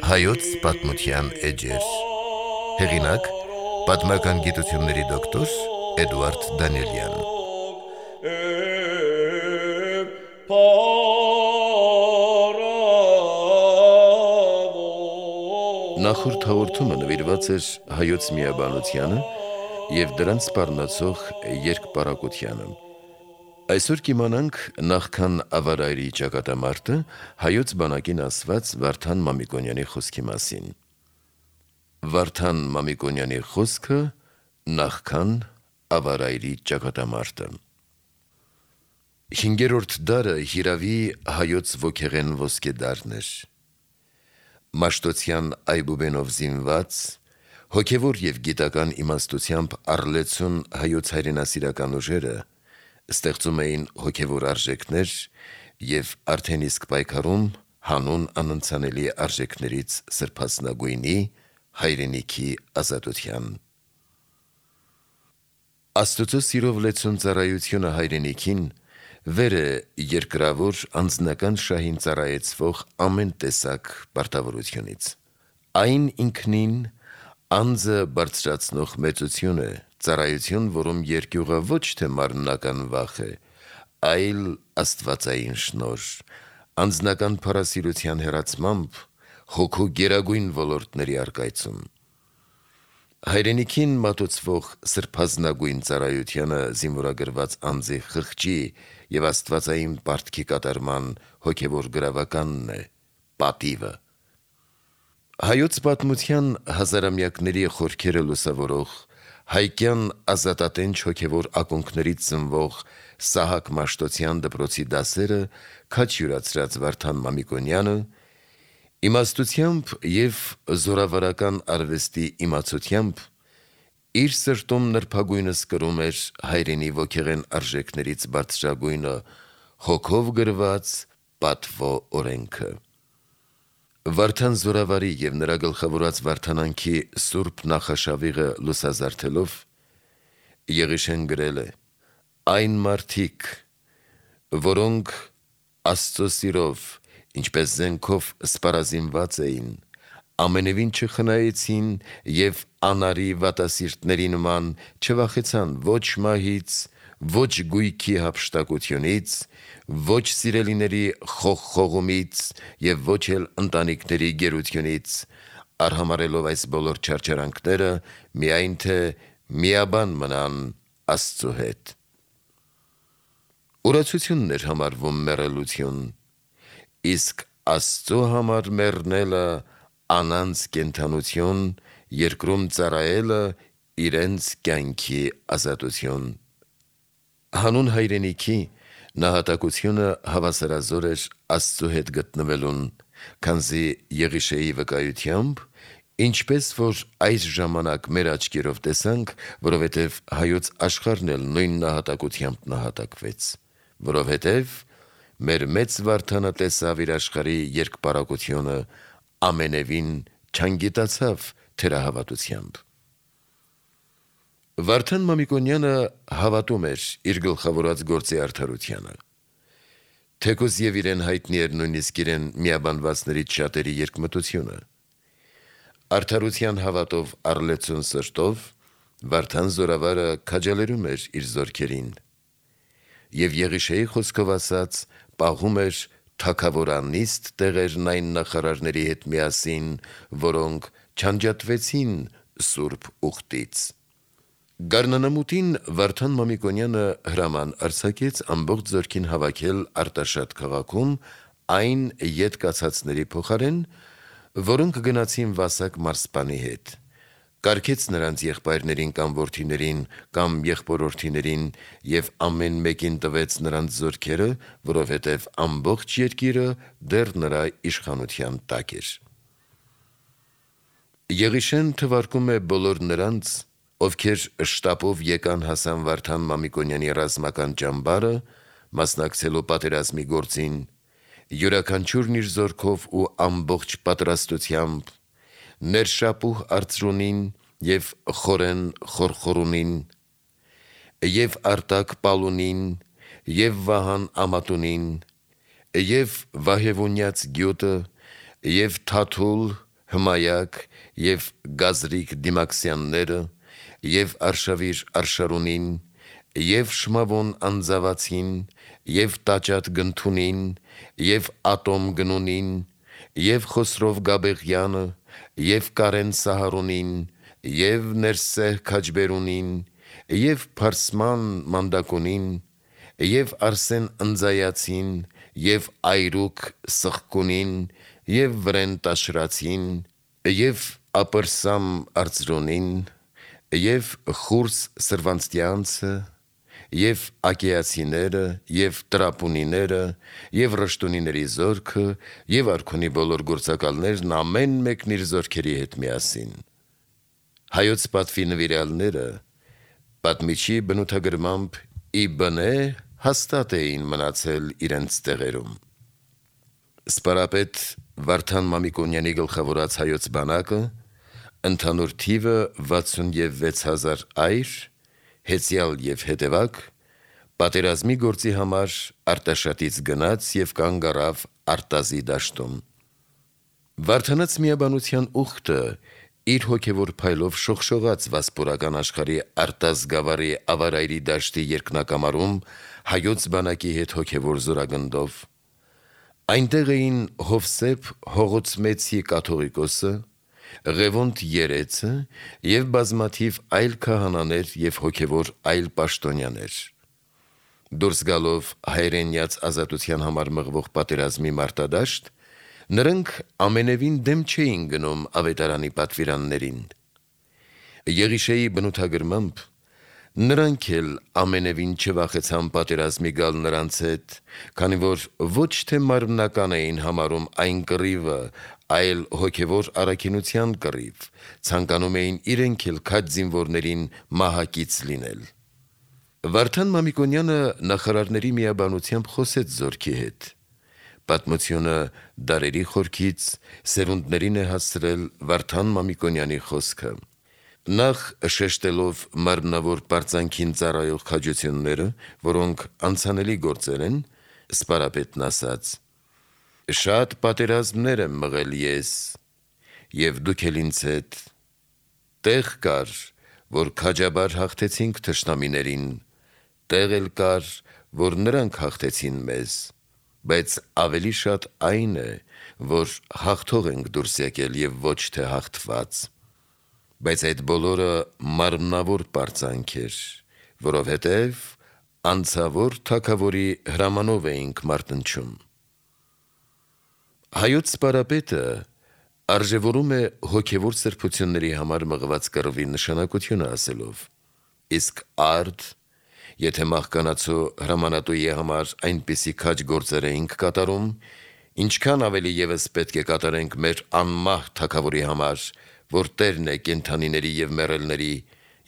Հայոց պատմության էջեր։ Հեղինակ՝ պատմական գիտությունների դոկտոր Էդուարդ Դանիելյան։ Նախորդ հաղորդումը նվիրված էր հայոց միաբանությանը և դրանց սպառնացող երկպարակությանը։ Այսօր կիմանանք նախքան Ավարայրի ճակատամարտը հայոց բանակին ասված Վարդան Մամիկոնյանի խոսքի մասին։ Վարդան Մամիկոնյանի խոսքը նախքան Ավարայրի ճակատամարտը։ 5-րդ դարը հիրավի հայոց ոգեղեն ոսկե դարն էր։ Մաշտոցյան այբուբենով զինված, հոգևոր և գիտական իմաստությամբ առլեցուն հայոց հայրենասիրական ուժերը ստեղծում էին հոգևոր արժեքներ և արդեն իսկ պայքարում հանուն անընծանելի արժեքներից սրբասնագույնի հայրենիքի ազատության։ Աստծո սիրով լեցուն ծառայությունը հայրենիքին վեր է երկրավոր անձնական շահին ծառայեցվող ամեն տեսակ պարտավորությունից։ Այն ինքնին անձը բարձրացնող մեծություն է, ծառայություն, որում երկյուղը ոչ թե մարմնական վախ է, այլ աստվածային շնորհ, անձնական փառասիրության հեռացմամբ հոգու գերագույն ոլորտների առկայծում։ Հայրենիքին մատուցվող սրբազնագույն ծառայությանը զինվորագրված անձի խղճի և աստվածային պարտքի կատարման հոգևոր գրավականն է պատիվը։ Հայոց պատմության հազարամյակների խորքերը լուսավորող, հայկյան ազատատենչ հոգևոր ակունքներից ծնվող Սահակ Մաշտոցյան դպրոցի դասերը քաջ յուրացրած Վարդան Մամիկոնյանը իմաստությամբ և զորավարական արվեստի իմացությամբ իր սրտում նրբագույնս կրում էր հայրենի ոգեղեն արժեքներից բարձրագույնը հոգով գրված պատվո օրենքը։ Վարդան զորավարի և նրա գլխավորած վարդանանքի սուրբ նախաշավիղը լուսազարդելով Եղիշեն գրել է. «Այն մարդիկ, որոնք Աստծո սիրով, ինչպես զենքով սպառազինված էին, ամենևին չխնայեցին և անարի վատասիրտների նման չվախեցան ոչ մահից, ոչ գույքի հափշտակությունից, ոչ սիրելիների խողխողումից և ոչ էլ ընտանիքների գերությունից, արհամարհելով այս բոլոր չարչարանքները, միայն թե միաբան մնան Աստծո հետ»։ Ուրացությունն էր համարվում մեռելություն, իսկ Աստծո համար մեռնելը անանց կենդանություն, երկրում ծառայելը իրենց կյանքի ազատություն։ Հանուն հայրենիքի նահատակությունը հավասարազոր էր Աստծո հետ գտնվելուն, քանզի Եղիշեի վկայությամբ, ինչպես որ այս ժամանակ մեր աչքերով տեսանք, որովհետև հայոց աշխարհն էլ նույն նահատակությամբ նահատակվեց, որովհետև մեր մեծ Վարդանը տեսավ իր աշխարհի երկպարակությունը, ամենևին չանգիտացավ թերահավատությամբ։ Վարդան Մամիկոնյանը հավատում էր իր գլխավորած գործի արդարությանը։ Թեկուզ և իրեն հայտնի էր նույնիսկ իրեն միաբանվածներից շատերի երկմտությունը։ Արդարության հավատով առլեցուն սրտով Վարդան զորավարը քաջալերում էր իր զորքերին և Եղիշեի խոսքով ասած պահում էր թագավորանիստ տեղերն այն նախարարների հետ միասին, որոնք չանջատվեցին սուրբ ուխտից։ Գարնանամուտին Վարդան Մամիկոնյանը հրաման արձակեց ամբողջ զորքին հավաքել Արտաշատ քաղաքում այն ետ կացածների փոխարեն, որոնք գնացին Վասակ մարզպանի հետ, կարգեց նրանց եղբայրներին կամ որդիներին կամ եղբորորդիներին և ամեն մեկին տվեց նրանց զորքերը, որովհետև ամբողջ երկիրը դեռ նրա իշխանության տակ էր։ Եղիշեն թվարկում է բոլոր նրանց, ովքեր շտապով եկան հասան Վարդան Մամիկոնյանի ռազմական ճամբարը, մասնակցելու պատերազմի գործին, յուրաքանչյուրն իր զորքով ու ամբողջ պատրաստությամբ, ներշապուհ արծրունին եւ խորեն խորխորունին, եւ արտակ պալունին, եւ վահան ամատունին, եւ վահևունյաց գյուտը, եւ թաթուլ, հմայակ, եւ գազրիկ դիմաքսյանները, եւ արշավիր արշարունին, եւ շմավոն անձավացին, եւ տաճատ գնթունին, եւ ատոմ գնունին, եւ խոսրով գաբեղյանը, եւ կարեն սահարունին, եւ ներսեհ քաջբերունին, եւ փարսման մանդակունին, եւ արսեն ընձայացին, եւ այրուկ սխկունին, եւ վրեն տաշրացին, եւ ապրսամ արծրունին, եւ խուրս սրվանցտյանցը, եւ ակեացիները, եւ տրապունիները, եւ ռշտունիների զորքը, եւ արքունի բոլոր գործակալներն ամեն մեկն իր զորքերի հետ միասին։ Հայոց պատվի նվիրյալները պատմիչի բնութագրմամբ ի բնե հաստատ էին մնացել իրենց տեղերում։ Սպարապետ Վարդան Մամիկոնյանի գլխավորած հայոց բանակը ընդհանուր թիվը 66,000 այր, հեծյալ եւ հետևակ, պատերազմի գործի համար Արտաշատից գնաց եւ կանգ առավ Արտազի դաշտում։ Վարդանաց միաբանության ուխտը իր հոգևոր փայլով շողշողաց վասպուրական աշխարհի Արտազ գավառի ավարայրի դաշտի երկնակամարում հայոց բանակի հետ հոգևոր զորագնդով։ Այնտեղ էին Հովսեփ Հողոցմեցի կաթողիկոսը, Ղևոնդ Երեցը եւ բազմաթիվ այլ քահանաներ եւ հոգևոր այլ պաշտոնյաներ։ Դուրս գալով հայրենյաց ազատության համար մղվող պատերազմի մարտադաշտ, նրանք ամենևին դեմ չէին գնում ավետարանի պատվիրաններին։ Եղիշեի բնութագրմամբ նրանք էլ ամենևին չվախեցան պատերազմի գալ նրանց հետ, քանի որ ոչ թե մարմնական էին համարում այն կռիվը, այլ հոգևոր առաքինության կռիվ, ցանկանում էին իրենք էլ քաջ զինվորներին մահակից լինել։ Վարդան Մամիկոնյանը նախարարների միաբանությամբ խոսեց զորքի հետ։ Պատմությունը դարերի խորքից սերունդներին է հասցրել Վարդան Մամիկոնյանի խոսքը։ Նախ շեշտելով մարմնավոր պարծանքին ծառայող քաջությունները, որոնք անցանելի գործեր են, սպարապետն ասաց. «Շատ պատերազմներ եմ մղել ես, եւ դուք էլ ինձ հետ։ Տեղ կար, որ քաջաբար հաղթեցինք թշնամիներին, տեղ էլ կար, որ նրանք հաղթեցին մեզ, բայց ավելի շատ այն է, որ հաղթող ենք դուրս եկել եւ ոչ թե հաղթված։ Բայց այդ բոլորը մարմնավոր պարծանք էր, որովհետև անցավոր թագավորի հրամանով էինք մարտնչում»։ Հայոց սպարապետը արժևորում է հոգևոր սրբությունների համար մղված կռվի նշանակությունը ասելով. իսկ արդ, եթե մահկանացու հրամանատուի համար այնպիսի քաջ գործեր էինք կատարում, ինչքան ավելի ևս պետք է կատարենք մեր անմահ թագավորի համար, որ Տերն է կենդանիների եւ մեռելների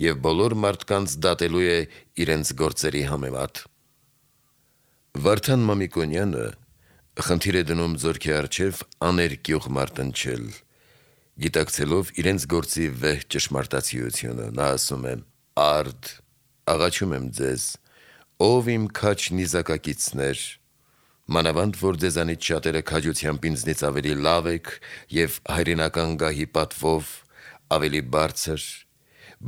եւ բոլոր մարդկանց դատելու է իրենց գործերի համեմատ։ Վարդան Մամիկոնյանը խնդիր է դնում զորքի առջև աներկյուղ մարտնչել, գիտակցելով իրենց գործի վեհ ճշմարտացիությունը։ Նա ասում է. «Արդ, աղաչում եմ ձեզ, ով իմ քաջ նիզակակիցներ, մանավանդ որ ձեզանից շատերը քաջությամբ ինձնից ավելի լավ եք եւ հայրենական գահի պատվով ավելի բարձր,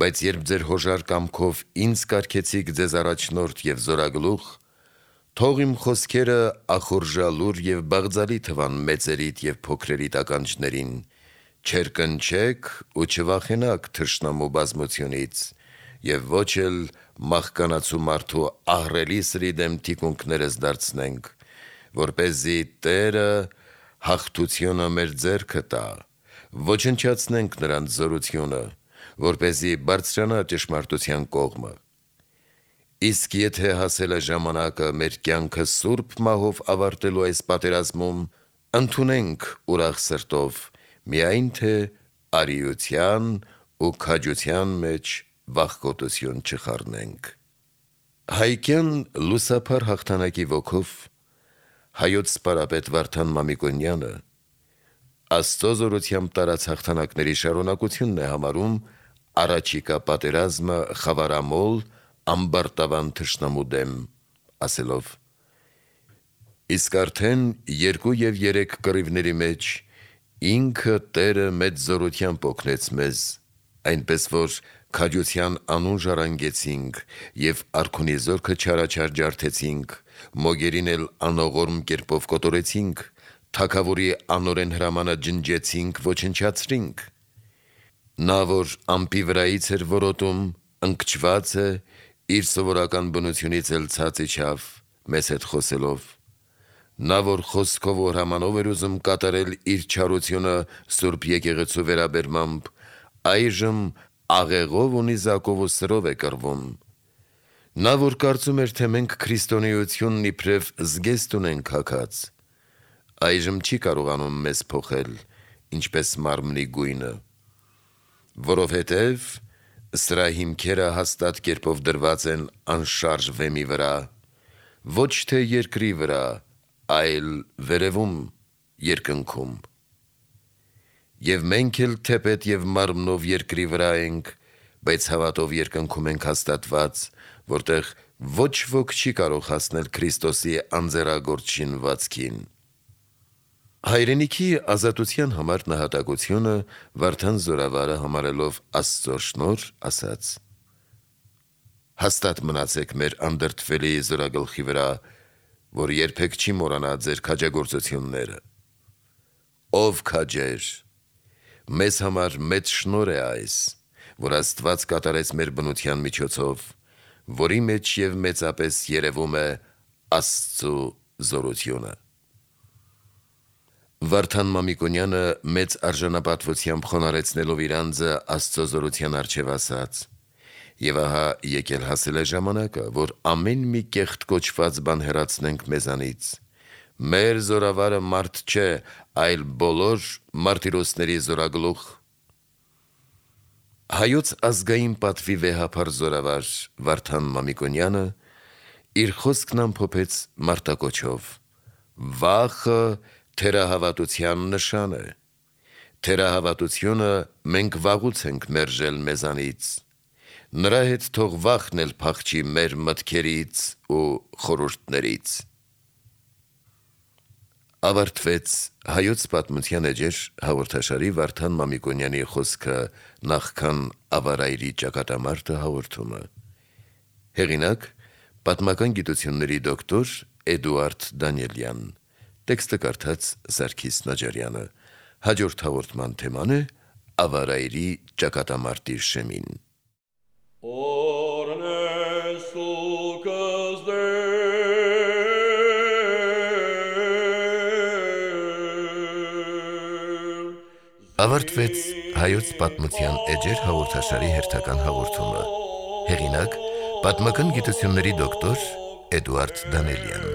բայց երբ ձեր հոժար կամքով ինձ կարգեցիք ձեզ առաջնորդ եւ զորագլուխ, թող իմ խոսքերը ախորժալուր եւ բաղձալի թվան մեծերիդ եւ փոքրերիդ ականջներին, չերկնչեք ու չվախենաք թշնամու բազմությունից եւ ոչ էլ մահկանացու մարդու ահռելի սրի դեմ թիկունքներս դարձնենք, որպեսզի Տերը հաղթությունը մեր ձեռքը տա, ոչնչացնենք նրանց զորությունը, որպեսզի բարձրանա ճշմարտության կողմը։ Իսկ եթե հասել է ժամանակը մեր կյանքը սուրբ մահով ավարտելու այս պատերազմում, ընդունենք ուրախ սրտով, միայն թե արիության ու քաջության մեջ վախկոտություն չխառնենք»։ Հայկյան լուսափար հաղթանակի ոգով հայոց սպարապետ Վարդան Մամիկոնյանը Աստծո զորությամբ տարած հաղթանակների շարունակությունն է համարում առաջիկա պատերազմը խավարամոլ ամբարտավան թշնամու դեմ, ասելով. Իսկ արդեն 2 և 3 կռիվների մեջ ինքը Տերը մեծ զորությամբ օգնեց մեզ, այնպես որ քաջության անուն ժառանգեցինք և արքունի զորքը չարաչար ջարդեցինք, մոգերին էլ անողորմ կերպով կոտորեցինք, թագավորի անօրեն հրամանը ջնջեցինք, ոչնչացրինք։ Նա, որ ամպի վրայից էր որոտում, ընկճված է, իր սովորական բնությունից էլ ցած իջավ, մեզ հետ խոսելով։ Նա, որ խոսքով ու հրամանով էր ուզում կատարել իր չարությունը Սուրբ եկեղեցու վերաբերմամբ, այժմ աղեղով ու նիզակով ու սրով է կռվում։ Նա, որ կարծում էր, թե մենք քրիստոնեությունն իբրև զգեստ ունենք հագած, այժմ չի կարողանում մեզ փոխել, ինչպես մարմնի գույնը, որովհետև սրա հիմքերը հաստատ կերպով դրված են անշարժ վեմի վրա, ոչ թե երկրի վրա, այլ վերևում, երկնքում։ Եվ մենք էլ թեպետ և մարմնով երկրի վրա ենք, բայց հավատով երկնքում ենք հաստատված, որտեղ ոչ ոք չի կարող հասնել Քրիստոսի անձեռագործ շինվածքին։ Հայրենիքի ազատության համար նահատակությունը Վարդան Զորավարը համարելով Աստծո շնորհ ասաց. հաստատ մնացեք մեր անդրդվելի զորագլխի վրա, որ երբեք չի մոռանա ձեր քաջագործությունները։ Ով քաջեր, մեզ համար մեծ շնորհ է այս, որ Աստված կատարեց մեր բնության միջոցով, որի մեջ և մեծապես երևում է Աստծու զորությունը։ Վարդան Մամիկոնյանը մեծ արժանապատվությամբ խոնարհեցնելով իր անձը Աստծո զորության առջև ասաց. Եվ ահա եկել հասել է ժամանակը, որ ամեն մի կեղտ կոչված բան հեռացնենք մեզանից։ Մեր զորավարը մարդ չէ, այլ բոլոր մարտիրոսների զորագլուխ։ Հայոց ազգային պատվի վեհափառ զորավար Վարդան Մամիկոնյանը իր խոսքն ամփոփեց մարտակոչով. վախը թերահավատության նշան է։ Թերահավատությունը մենք վաղուց ենք մերժել մեզանից։ Նրա հետ թող վախն էլ փախչի մեր մտքերից ու խորհուրդներից։ Ավարտվեց Հայոց պատմության էջեր հաղորդաշարի Վարդան Մամիկոնյանի խոսքը նախքան Ավարայրի ճակատամարտը հաղորդումը։ Հեղինակ՝ պատմական գիտությունների դոկտոր Էդուարդ Դանիելյան։ Տեքստը կարդաց Սարգիս Նաջարյանը։ Հաջորդ հաղորդման թեման է Ավարայրի ճակատամարտի շեմին։ Ավարտվեց Հայոց պատմության էջեր հաղորդաշարի հերթական հաղորդումը։ Հեղինակ՝ պատմական գիտությունների դոկտոր Էդուարդ Դանիելյան։